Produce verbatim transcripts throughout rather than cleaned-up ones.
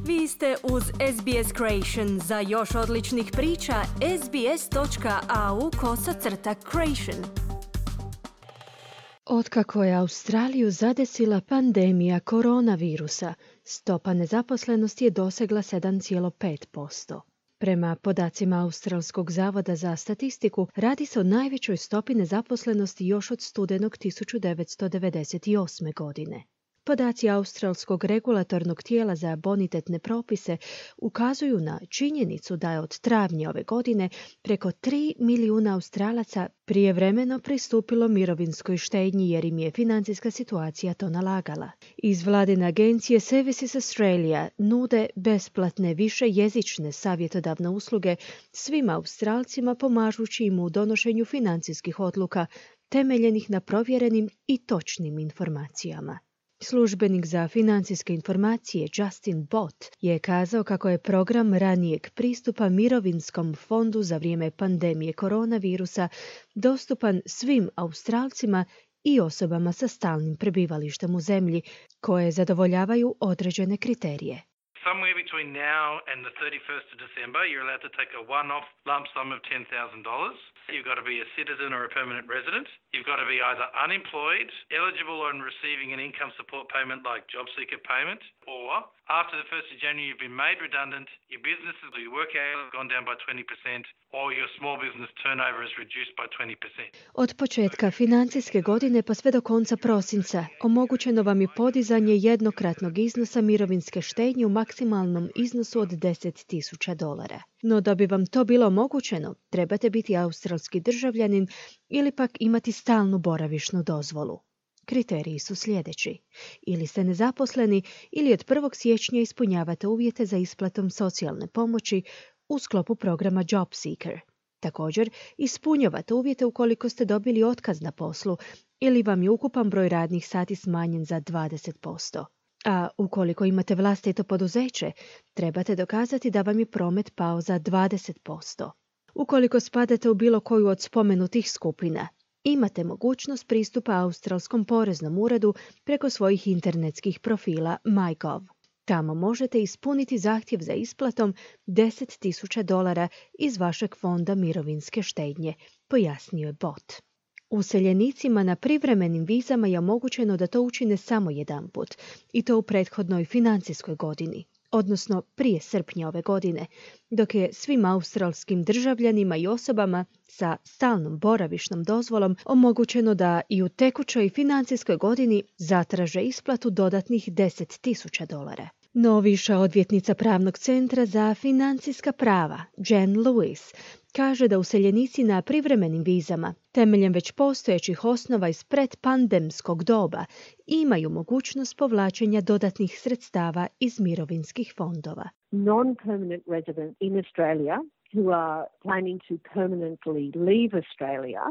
Vi ste uz S B S Creation. Za još odličnih priča, sbs.au kosacrta creation. Otkako je Australiju zadesila pandemija koronavirusa, stopa nezaposlenosti je dosegla sedam zarez pet posto. Prema podacima Australskog zavoda za statistiku, radi se o najvećoj stopi nezaposlenosti još od studenog tisuću devetsto devedeset osme. godine. Podaci Australskog regulatornog tijela za bonitetne propise ukazuju na činjenicu da je od travnja ove godine preko tri milijuna Australaca prijevremeno pristupilo mirovinskoj štednji jer im je financijska situacija to nalagala. Iz vladine agencije Services Australia nude besplatne višejezične savjetodavne usluge svim Australcima pomažući im u donošenju financijskih odluka temeljenih na provjerenim i točnim informacijama. Službenik za financijske informacije Justin Bott je kazao kako je program ranijeg pristupa mirovinskom fondu za vrijeme pandemije koronavirusa dostupan svim Australcima i osobama sa stalnim prebivalištem u zemlji koje zadovoljavaju određene kriterije. Somewhere between now and the thirty-first of December, you're allowed to take a one-off lump sum of ten thousand dollars. You've got to be a citizen or a permanent resident. You've got to be either unemployed, eligible on receiving an income support payment like job seeker payment, or after the first of January you've been made redundant, your business or your work hours have gone down by twenty percent, or your small business turnover is reduced by twenty percent. Od početka financijske godine pa sve do konca prosinca omogućeno vam je podizanje jednokratnog iznosa mirovinske štednje u maksimalnom iznosu od deset tisuća dolara. No da bi vam to bilo omogućeno, trebate biti australski državljanin ili pak imati stalnu boravišnu dozvolu. Kriteriji su sljedeći. Ili ste nezaposleni ili od prvog siječnja ispunjavate uvjete za isplatom socijalne pomoći u sklopu programa Job Seeker. Također, ispunjavate uvjete ukoliko ste dobili otkaz na poslu ili vam je ukupan broj radnih sati smanjen za dvadeset posto. A ukoliko imate vlastito poduzeće, trebate dokazati da vam je promet pao za dvadeset posto. Ukoliko spadate u bilo koju od spomenutih skupina, imate mogućnost pristupa Australskom poreznom uredu preko svojih internetskih profila MyGov. Tamo možete ispuniti zahtjev za isplatom deset tisuća dolara iz vašeg fonda mirovinske štednje, pojasnio je Bott. Useljenicima na privremenim vizama je omogućeno da to učine samo jedanput, i to u prethodnoj financijskoj godini, odnosno prije srpnja ove godine, dok je svim australskim državljanima i osobama sa stalnom boravišnom dozvolom omogućeno da i u tekućoj financijskoj godini zatraže isplatu dodatnih deset tisuća dolara. No viša odvjetnica Pravnog centra za financijska prava, Jen Lewis, kaže da useljenici na privremenim vizama, temeljem već postojećih osnova iz predpandemskog doba, imaju mogućnost povlačenja dodatnih sredstava iz mirovinskih fondova. Non-permanent residents in Australia who are planning to permanently leave Australia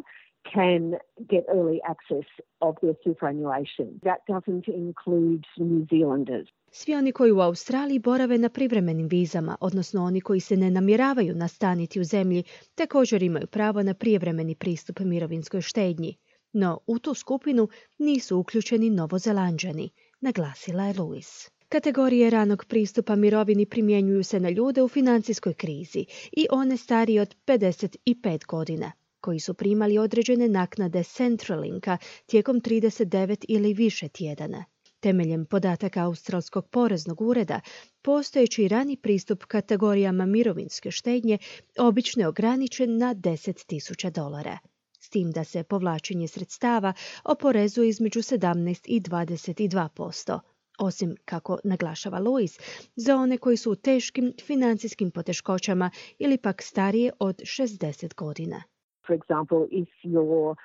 can get early access of their superannuation. That doesn't include New Zealanders. Svi oni koji u Australiji borave na privremenim vizama, odnosno oni koji se ne namjeravaju nastaniti u zemlji, također imaju pravo na prijevremeni pristup mirovinskoj štednji. No u tu skupinu nisu uključeni Novozelanđani, naglasila je Lewis. Kategorije ranog pristupa mirovini primjenjuju se na ljude u financijskoj krizi i one starije od pedeset pet godina, koji su primali određene naknade Centralinka tijekom trideset devet ili više tjedana. Temeljem podataka Australskog poreznog ureda, postojeći rani pristup kategorijama mirovinske štednje obično je ograničen na deset tisuća dolara. S tim da se povlačenje sredstava oporezuje između sedamnaest i dvadeset dva posto. Osim, kako naglašava Lewis, za one koji su u teškim financijskim poteškoćama ili pak starije od šezdeset godina. For example, if you're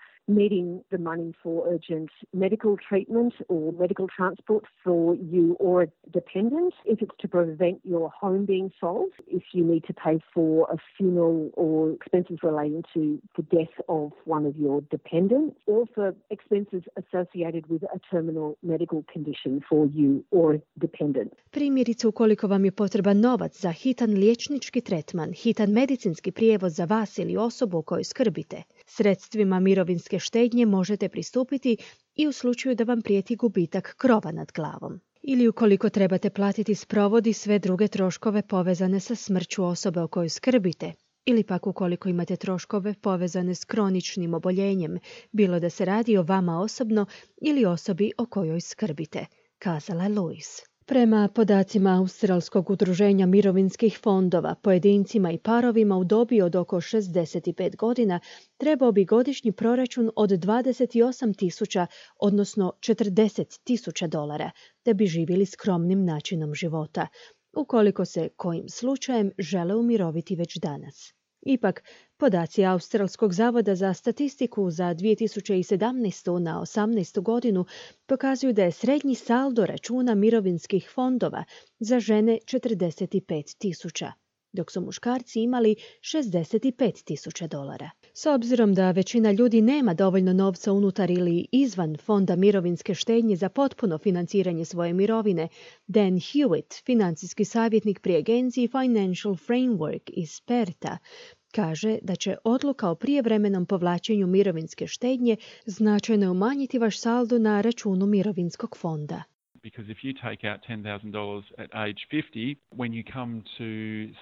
needing the money for urgent medical treatment or medical transport for you or a dependent, if it's to prevent your home being sold, if you need to pay for a funeral or expenses relating to the death of one of your dependents, or for expenses associated with a terminal medical condition for you or a dependent. Primjerice, ukoliko vam je potreban novac za hitan liječnički tretman, hitan medicinski prijevoz za vas ili osobu o kojoj skrbite, sredstvima mirovinske štednje možete pristupiti i u slučaju da vam prijeti gubitak krova nad glavom. ili ukoliko trebate platiti sprovod i sve druge troškove povezane sa smrću osobe o kojoj skrbite, ili pak ukoliko imate troškove povezane s kroničnim oboljenjem, bilo da se radi o vama osobno ili osobi o kojoj skrbite, kazala je Lewis. Prema podacima Australskog udruženja mirovinskih fondova, pojedincima i parovima u dobi od oko šezdeset pet godina trebao bi godišnji proračun od dvadeset osam tisuća, odnosno četrdeset tisuća dolara, da bi živjeli skromnim načinom života, ukoliko se kojim slučajem žele umiroviti već danas. Ipak, podaci Australskog zavoda za statistiku za dvije tisuće sedamnaestu na osamnaestu godinu pokazuju da je srednji saldo računa mirovinskih fondova za žene četrdeset pet tisuća, dok su muškarci imali šezdeset pet tisuća dolara. S obzirom da većina ljudi nema dovoljno novca unutar ili izvan fonda mirovinske štednje za potpuno financiranje svoje mirovine, Dan Hewitt, financijski savjetnik pri agenciji Financial Framework iz Perta, kaže da će odluka o prijevremenom povlačenju mirovinske štednje značajno umanjiti vaš saldo na računu mirovinskog fonda. Because if you take out ten thousand dollars at age fifty, when you come to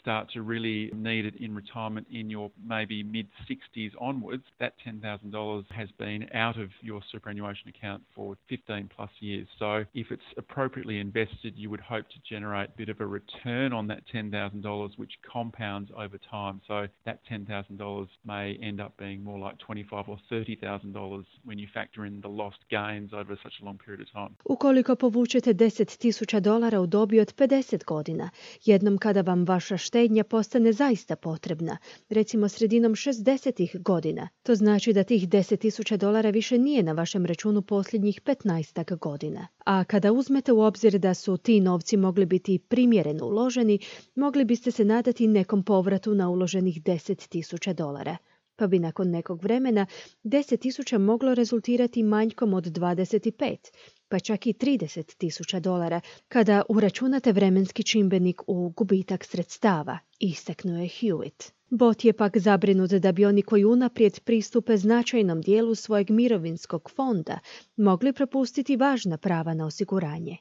start to really need it in retirement in your maybe mid-sixties onwards, that ten thousand dollars has been out of your superannuation account for fifteen plus years. So if it's appropriately invested, you would hope to generate a bit of a return on that ten thousand dollars, which compounds over time. So that ten thousand dollars may end up being more like twenty-five thousand dollars or thirty thousand dollars when you factor in the lost gains over such a long period of time. Ukoliko povučete deset tisuća dolara u dobi od pedeset godina, jednom kada vam vaša štednja postane zaista potrebna, recimo sredinom šezdesetih godina, to znači da tih deset tisuća dolara više nije na vašem računu posljednjih petnaestak godina. A kada uzmete u obzir da su ti novci mogli biti primjereno uloženi, mogli biste se nadati nekom povratu na uloženih deset tisuća dolara. Pa bi nakon nekog vremena deset tisuća moglo rezultirati manjkom od dvadeset pet, pa čak i trideset tisuća dolara, kada uračunate vremenski čimbenik u gubitak sredstava, istaknuo je Hewitt. Bot je pak zabrinut da bi oni koji unaprijed pristupe značajnom dijelu svojeg mirovinskog fonda mogli propustiti važna prava na osiguranje.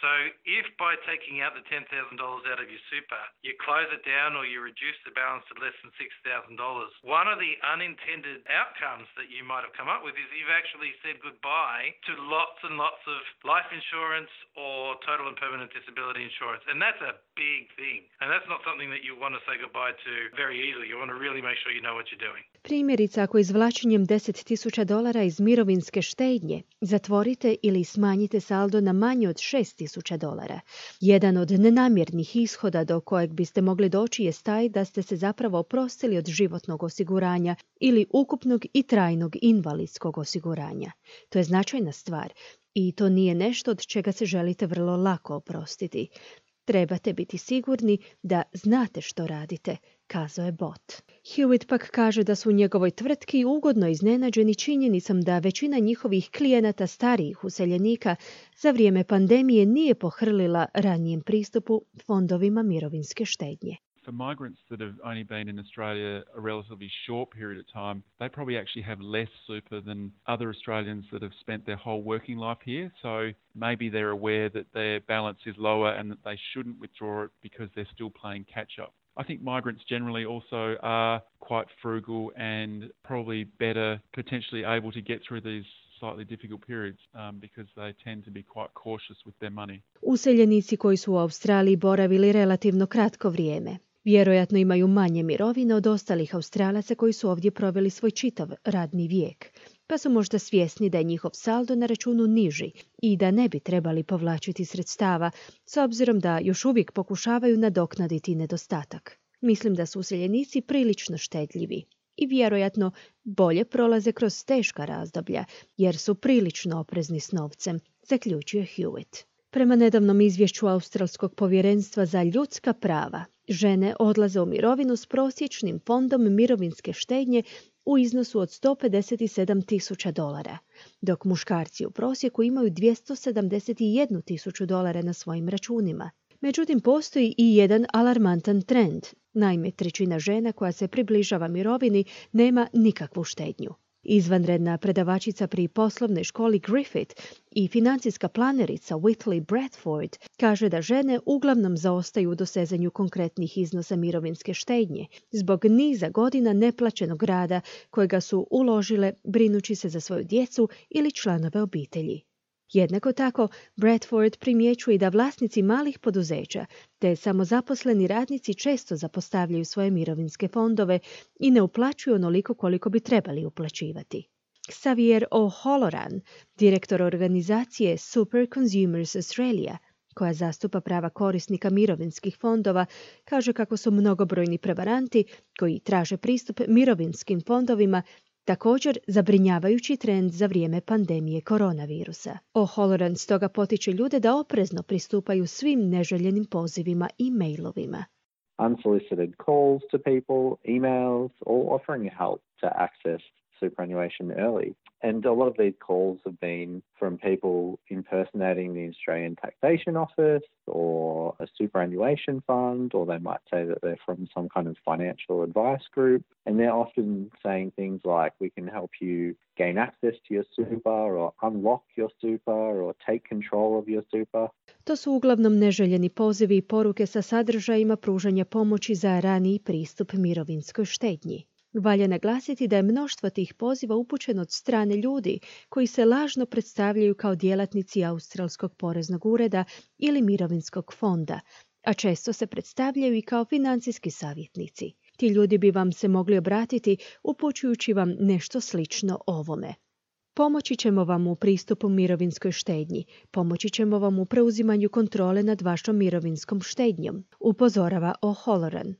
So if by taking out the ten thousand dollars out of your super, you close it down or you reduce the balance to less than six thousand dollars, one of the unintended outcomes that you might have come up with is you've actually said goodbye to lots and lots of life insurance or total and permanent disability insurance. And that's a big thing. And that's not something that you want to say goodbye to very easily. You want to really make sure you know what you're doing. Primjerice, ako izvlačenjem deset tisuća dolara iz mirovinske štednje zatvorite ili smanjite saldo na manje od šest tisuća dolara, jedan od nenamjernih ishoda do kojeg biste mogli doći je taj da ste se zapravo oprostili od životnog osiguranja ili ukupnog i trajnog invalidskog osiguranja. To je značajna stvar i to nije nešto od čega se želite vrlo lako oprostiti. Trebate biti sigurni da znate što radite, kazao je bot. Hewitt pak kaže da su u njegovoj tvrtki ugodno iznenađeni činjenicom da većina njihovih klijenata starijih useljenika za vrijeme pandemije nije pohrlila ranijem pristupu fondovima mirovinske štednje. For migrants that have only been in Australia a relatively short period of time, they probably actually have less super than other Australians that have spent their whole working life here. So maybe they're aware that their balance is lower and that they shouldn't withdraw it because they're still playing catch up. I think migrants generally also are quite frugal and probably better potentially able to get through these slightly difficult periods um, because they tend to be quite cautious with their money. Useljenici koji su u Australiji boravili relativno kratko vrijeme vjerojatno imaju manje mirovine od ostalih Australaca koji su ovdje proveli svoj čitav radni vijek, pa su možda svjesni da je njihov saldo na računu niži i da ne bi trebali povlačiti sredstava, s obzirom da još uvijek pokušavaju nadoknaditi nedostatak. Mislim da su useljenici prilično štedljivi i vjerojatno bolje prolaze kroz teška razdoblja, jer su prilično oprezni s novcem, zaključio Hewitt. Prema nedavnom izvješću Australskog povjerenstva za ljudska prava, žene odlaze u mirovinu s prosječnim fondom mirovinske štednje u iznosu od sto pedeset sedam tisuća dolara, dok muškarci u prosjeku imaju dvjesto sedamdeset jedan tisuću dolara na svojim računima. Međutim, postoji i jedan alarmantan trend. Naime, trećina žena koja se približava mirovini nema nikakvu štednju. Izvanredna predavačica pri poslovnoj školi Griffith i financijska planerica Whitley Bradford kaže da žene uglavnom zaostaju u dosezanju konkretnih iznosa mirovinske štednje zbog niza godina neplaćenog rada kojega su uložile brinući se za svoju djecu ili članove obitelji. Jednako tako, Bradford primjećuje da vlasnici malih poduzeća te samozaposleni radnici često zapostavljaju svoje mirovinske fondove i ne uplaćuju onoliko koliko bi trebali uplaćivati. Xavier O'Halloran, direktor organizacije Super Consumers Australia, koja zastupa prava korisnika mirovinskih fondova, kaže kako su mnogobrojni prevaranti koji traže pristup mirovinskim fondovima također zabrinjavajući trend za vrijeme pandemije koronavirusa. O'Halloran stoga potiče ljude da oprezno pristupaju svim neželjenim pozivima i mailovima. Unsolicited calls to people, emails, or offering help to access superannuation early. And a lot of these calls have been from people impersonating the Australian Taxation Office or a superannuation fund, or they might say that they're from some kind of financial advice group. And they're often saying things like, we can help you gain access to your super, or unlock your super, or take control of your super. To su uglavnom neželjeni pozivi i poruke sa sadržajima pružanja pomoći za raniji pristup mirovinskoj štednji. Valja naglasiti da je mnoštvo tih poziva upućeno od strane ljudi koji se lažno predstavljaju kao djelatnici Australskog poreznog ureda ili mirovinskog fonda, a često se predstavljaju i kao financijski savjetnici. Ti ljudi bi vam se mogli obratiti upućujući vam nešto slično ovome. Pomoći ćemo vam u pristupu mirovinskoj štednji, pomoći ćemo vam u preuzimanju kontrole nad vašom mirovinskom štednjom, upozorava O'Halloran.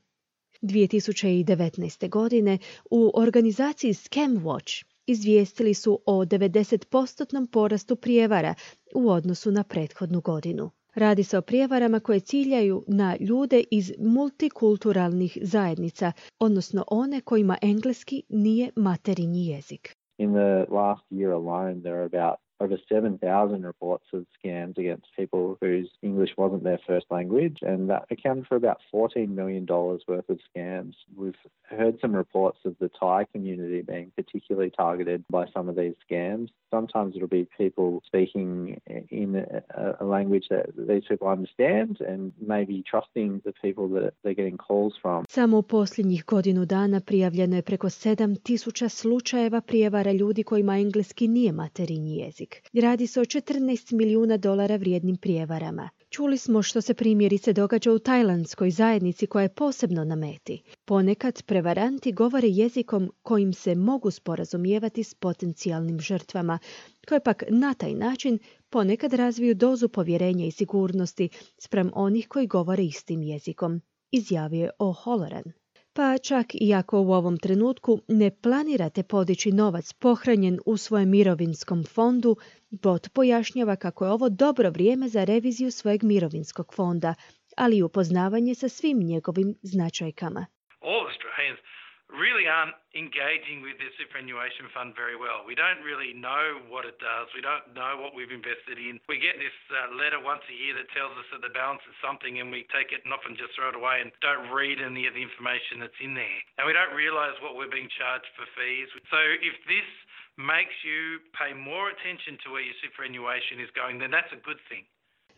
dvije tisuće devetnaeste. godine u organizaciji Scamwatch izvijestili su o devedeset posto porastu prijevara u odnosu na prethodnu godinu. Radi se o prijevarama koje ciljaju na ljude iz multikulturalnih zajednica, odnosno one kojima engleski nije materinji jezik. In the last year alone, there are about over seven thousand reports of scams against people whose English wasn't their first language, and that accounted for about fourteen million dollars worth of scams. We've heard some reports of the Thai community being particularly targeted by some of these scams. Sometimes it'll be people speaking in a, a language that these people understand and maybe trusting the people that they're getting calls from. Samo u posljednjih godinu dana prijavljeno je preko sedam tisuća slučajeva prijevara ljudi kojima engleski nije materinji jezik. Radi se o četrnaest milijuna dolara vrijednim prijevarama. Čuli smo što se primjerice događa u tajlandskoj zajednici koja je posebno na meti. Ponekad prevaranti govore jezikom kojim se mogu sporazumijevati s potencijalnim žrtvama, koje pak na taj način ponekad razviju dozu povjerenja i sigurnosti spram onih koji govore istim jezikom, izjavio je O'Halloran. Pa čak i ako u ovom trenutku ne planirate podići novac pohranjen u svojem mirovinskom fondu, bot pojašnjava kako je ovo dobro vrijeme za reviziju svojeg mirovinskog fonda, ali i upoznavanje sa svim njegovim značajkama. All Australians really aren't engaging with their superannuation fund very well. We don't really know what it does. We don't know what we've invested in. We get this uh, letter once a year that tells us that the balance is something, and we take it and often just throw it away and don't read any of the information that's in there. And we don't realise what we're being charged for fees. So if this makes you pay more attention to where your superannuation is going, then that's a good thing.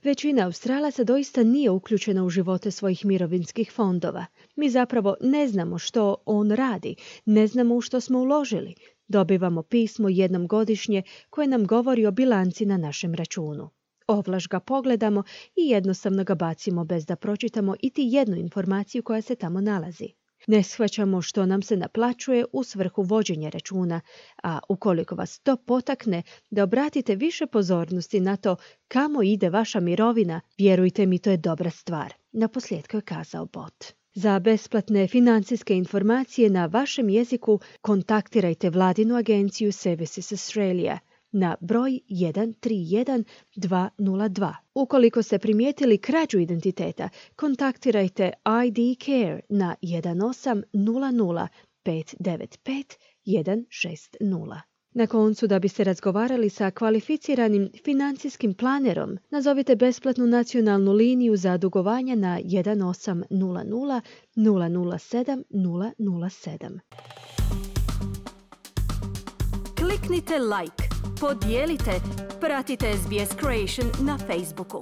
Većina Australaca doista nije uključena u živote svojih mirovinskih fondova. Mi zapravo ne znamo što on radi, ne znamo u što smo uložili. Dobivamo pismo jednom godišnje koje nam govori o bilanci na našem računu. Ovlaš ga pogledamo i jednostavno ga bacimo bez da pročitamo iti jednu informaciju koja se tamo nalazi. Ne shvaćamo što nam se naplaćuje u svrhu vođenja računa, a ukoliko vas to potakne da obratite više pozornosti na to kamo ide vaša mirovina, vjerujte mi, to je dobra stvar, naposljetku je kazao bot. Za besplatne financijske informacije na vašem jeziku kontaktirajte vladinu agenciju Services Australia na broj jedan tri jedan dva nula dva. Ukoliko ste primijetili krađu identiteta, kontaktirajte I D Care na jedan osam nula nula pet devet pet jedan šest nula. Na koncu, da biste razgovarali sa kvalificiranim financijskim planerom, nazovite besplatnu nacionalnu liniju za dugovanja na jedan osam nula nula nula nula sedam nula nula sedam. kliknite like, podijelite, pratite S B S Creation na Facebooku.